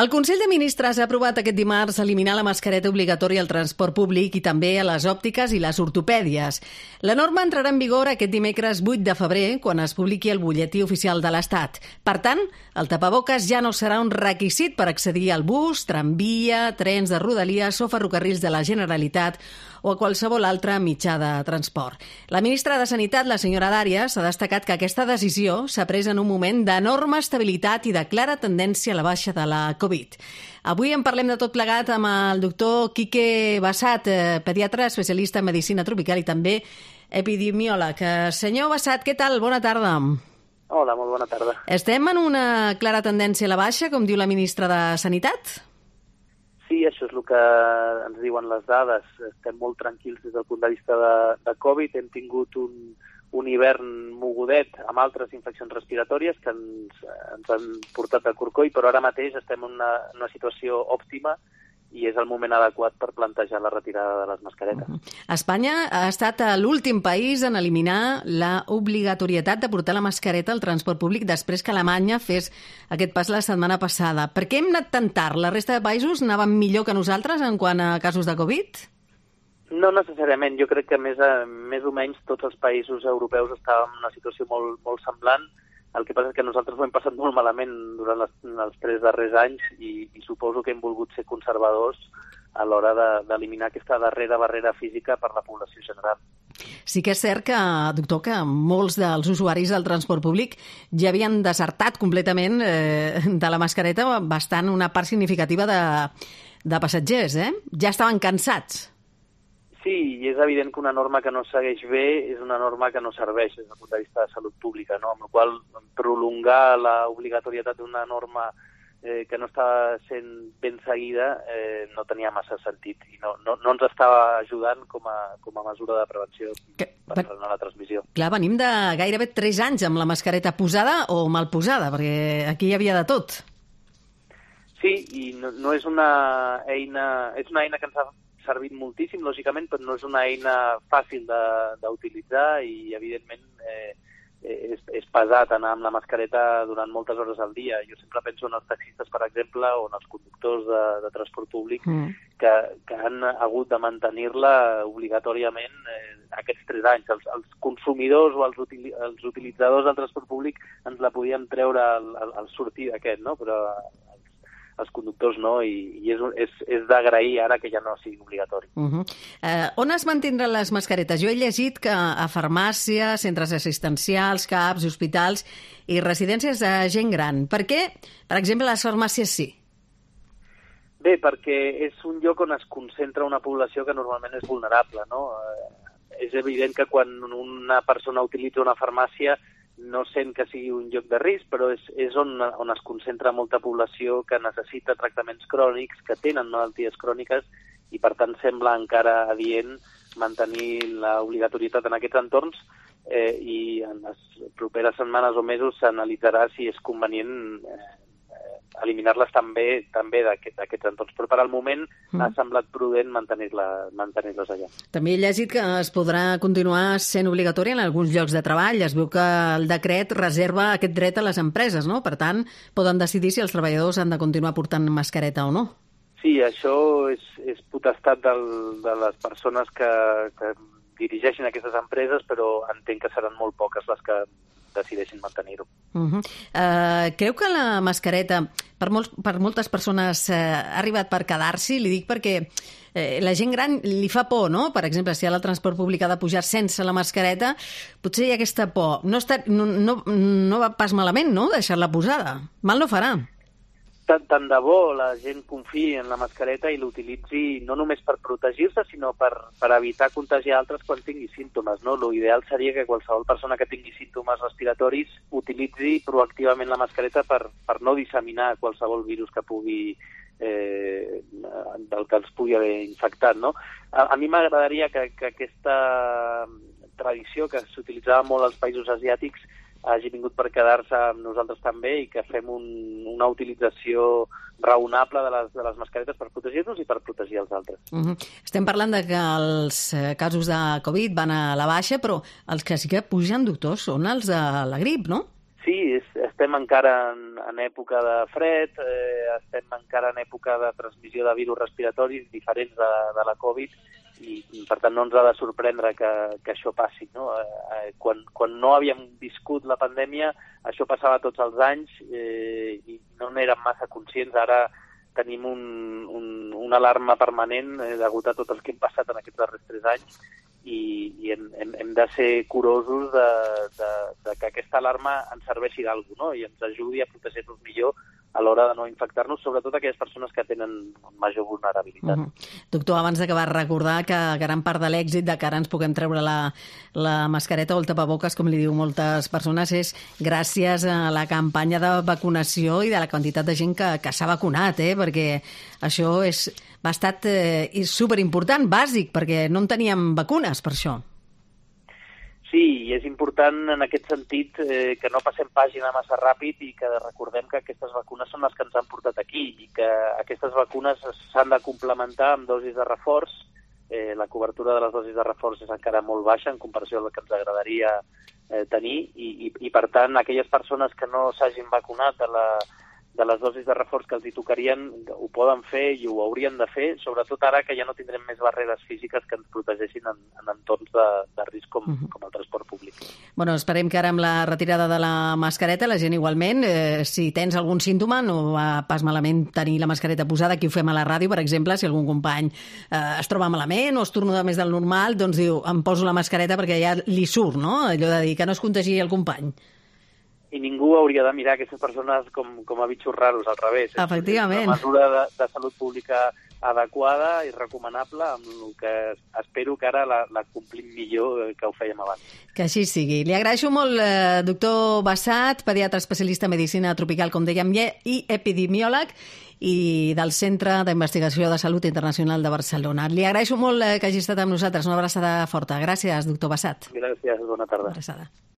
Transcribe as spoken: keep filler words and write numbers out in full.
El Consell de Ministres ha aprovat aquest dimarts eliminar la mascareta obligatòria al transport públic i també a les òptiques i les ortopèdies. La norma entrarà en vigor aquest dimecres vuit de febrer, quan es publiqui el butlletí oficial de l'Estat. Per tant, el tapaboques ja no serà un requisit per accedir al bus, tramvia, trens de Rodalies o ferrocarrils de la Generalitat o a qualsevol altre mitjà de transport. La ministra de Sanitat, la senyora Dàrias, ha destacat que aquesta decisió s'ha pres en un moment d'enorme estabilitat i de clara tendència a la baixa de la Covid. Avui en parlem de tot plegat amb el doctor Quique Bassat, pediatre especialista en medicina tropical i també epidemiòleg. Senyor Bassat, què tal? Bona tarda. Hola, molt bona tarda. Estem en una clara tendència a la baixa, com diu la ministra de Sanitat? Sí, això és el que ens diuen les dades. Estem molt tranquils des del punt de vista de, de Covid. Hem tingut un, un hivern mogudet amb altres infeccions respiratòries que ens, ens han portat a corcoll, però ara mateix estem en una, una situació òptima i és el moment adequat per plantejar la retirada de les mascaretes. Uh-huh. Espanya ha estat l'últim país en eliminar la obligatorietat de portar la mascareta al transport públic després que Alemanya fes aquest pas la setmana passada. Per què hem anat tan tard? La resta de països anaven millor que nosaltres en quant a casos de Covid? No necessàriament. Jo crec que més, a, més o menys tots els països europeus estàvem en una situació molt, molt semblant. El que passa és que nosaltres ho hem passat molt malament durant les, els tres darrers anys i, i suposo que hem volgut ser conservadors a l'hora de, d'eliminar aquesta darrera barrera física per la població general. Sí que és cert que, doctor, que molts dels usuaris del transport públic ja havien desertat completament eh, de la mascareta bastant una part significativa de, de passatgers, eh? Ja estaven cansats. Sí, i és evident que una norma que no segueix bé és una norma que no serveix des del punt de vista de salut pública, no? Amb la qual prolongar l'obligatorietat d'una norma eh, que no estava sent ben seguida eh, no tenia massa sentit i no, no, no ens estava ajudant com a, com a mesura de prevenció que, per frenar la transmissió. Clar, venim de gairebé tres anys amb la mascareta posada o mal posada, perquè aquí hi havia de tot. Sí, i no, no és una eina... És una eina que ens ha servit moltíssim, lògicament, però no és una eina fàcil d'utilitzar i, evidentment, eh, és, és pesat anar amb la mascareta durant moltes hores al dia. Jo sempre penso en els taxistes, per exemple, o en els conductors de, de transport públic, mm. que, que han hagut de mantenir-la obligatòriament eh, aquests tres anys. Els, els consumidors o els, util, els utilitzadors del transport públic ens la podien treure al, al, al sortir d'aquest, no? Però els conductors no, i, i és, és, és d'agrair ara que ja no sigui obligatori. Uh-huh. eh, on es mantindran les mascaretes? Jo he llegit que a farmàcies, centres assistencials, C A Ps, hospitals i residències de gent gran. Per què, per exemple, les farmàcies sí? Bé, perquè és un lloc on es concentra una població que normalment és vulnerable, no? Eh, és evident que quan una persona utilitza una farmàcia no sent que sigui un lloc de risc, però és, és on, on es concentra molta població que necessita tractaments crònics, que tenen malalties cròniques, i per tant sembla encara adient mantenir l'obligatorietat en aquests entorns eh, i en les properes setmanes o mesos s'analitzarà si és convenient eh, eliminar-les també també d'aquest, d'aquests entorns. Però per al moment mm. ha semblat prudent mantenir-la, mantenir-les allà. També he llegit que es podrà continuar sent obligatori en alguns llocs de treball. Es veu que el decret reserva aquest dret a les empreses, no? Per tant, poden decidir si els treballadors han de continuar portant mascareta o no. Sí, això és, és potestat del, de les persones que, que dirigeixen aquestes empreses, però entenc que seran molt poques les que decideixin mantenir-ho. Uh-huh. Uh, creu que la mascareta, per, molts, per moltes persones, uh, ha arribat per quedar-s'hi? Li dic perquè eh, la gent gran li fa por, no? Per exemple, si ara el transport públic ha de pujar sense la mascareta, potser hi ha aquesta por. No, està, no, no, no va pas malament, no?, deixar-la posada. Mal no farà. Tant, tant de bo la gent confiï en la mascareta i l'utilitzi no només per protegir-se, sinó per, per evitar contagiar altres quan tingui símptomes, no? L'ideal seria que qualsevol persona que tingui símptomes respiratoris utilitzi proactivament la mascareta per, per no disseminar qualsevol virus que pugui eh, del que els pugui haver infectat, no? A, a mi m'agradaria que, que aquesta tradició que s'utilitzava molt als països asiàtics hagi vingut per quedar-se amb nosaltres també i que fem un, una utilització raonable de les, de les mascaretes per protegir-nos i per protegir els altres. Uh-huh. Estem parlant de que els casos de Covid van a la baixa, però els que sí que pugen, doctor, són els de la grip, no? Sí, és, estem encara en, en època de fred, eh, estem encara en època de transmissió de virus respiratoris diferents de, de la Covid, i per tant no ens ha de sorprendre que, que això passi, no? Eh, quan, quan no havíem viscut la pandèmia, això passava tots els anys eh, i no n'érem massa conscients. Ara tenim un, un, una alarma permanent eh, degut a tot el que hem passat en aquests darrers tres anys, i, i hem, hem, hem de ser curosos de, de, de que aquesta alarma ens serveixi d'alguna cosa, no? I ens ajudi a protegir-nos millor a l'hora de no infectar-nos, sobretot aquelles persones que tenen major vulnerabilitat. Uh -huh. Doctor, abans d'acabar, recordar que gran part de l'èxit de que ara ens puguem treure la, la mascareta o el tapaboques, com li diu moltes persones, és gràcies a la campanya de vacunació i de la quantitat de gent que, que s'ha vacunat, eh? Perquè això és, va estat eh, superimportant, bàsic, perquè no en teníem vacunes per això. Sí, i és important en aquest sentit eh, que no passem pàgina massa ràpid i que recordem que aquestes vacunes són les que ens han portat aquí i que aquestes vacunes s'han de complementar amb dosis de reforç. Eh, la cobertura de les dosis de reforç és encara molt baixa en comparació amb el que ens agradaria eh, tenir i, i, i, per tant, aquelles persones que no s'hagin vacunat de, la, de les dosis de reforç que els hi tocarien ho poden fer i ho haurien de fer, sobretot ara que ja no tindrem més barreres físiques que ens protegeixin en, en entorns de, de risc com, uh-huh. com el transport públic. Bueno, esperem que ara amb la retirada de la mascareta la gent igualment, eh, si tens algun símptoma, no va pas malament tenir la mascareta posada. Aquí ho fem a la ràdio, per exemple, si algun company eh, es troba malament o es tornuda més del normal, doncs diu, em poso la mascareta perquè ja li surt, no? Allò de dir que no es contagi el company. I ningú hauria de mirar aquestes persones com, com a bitxos raros, al revés. Efectivament. És una mesura de, de salut pública adequada i recomanable, amb el que espero que ara la, la complim millor que ho fèiem abans. Que així sigui. Li agraeixo molt, eh, doctor Bassat, pediatre especialista en medicina tropical, com dèiem, i epidemiòleg, i del Centre d'Investigació de Salut Internacional de Barcelona. Li agraeixo molt eh, que hagi estat amb nosaltres. Una abraçada forta. Gràcies, doctor Bassat. Gràcies, bona tarda. Una abraçada.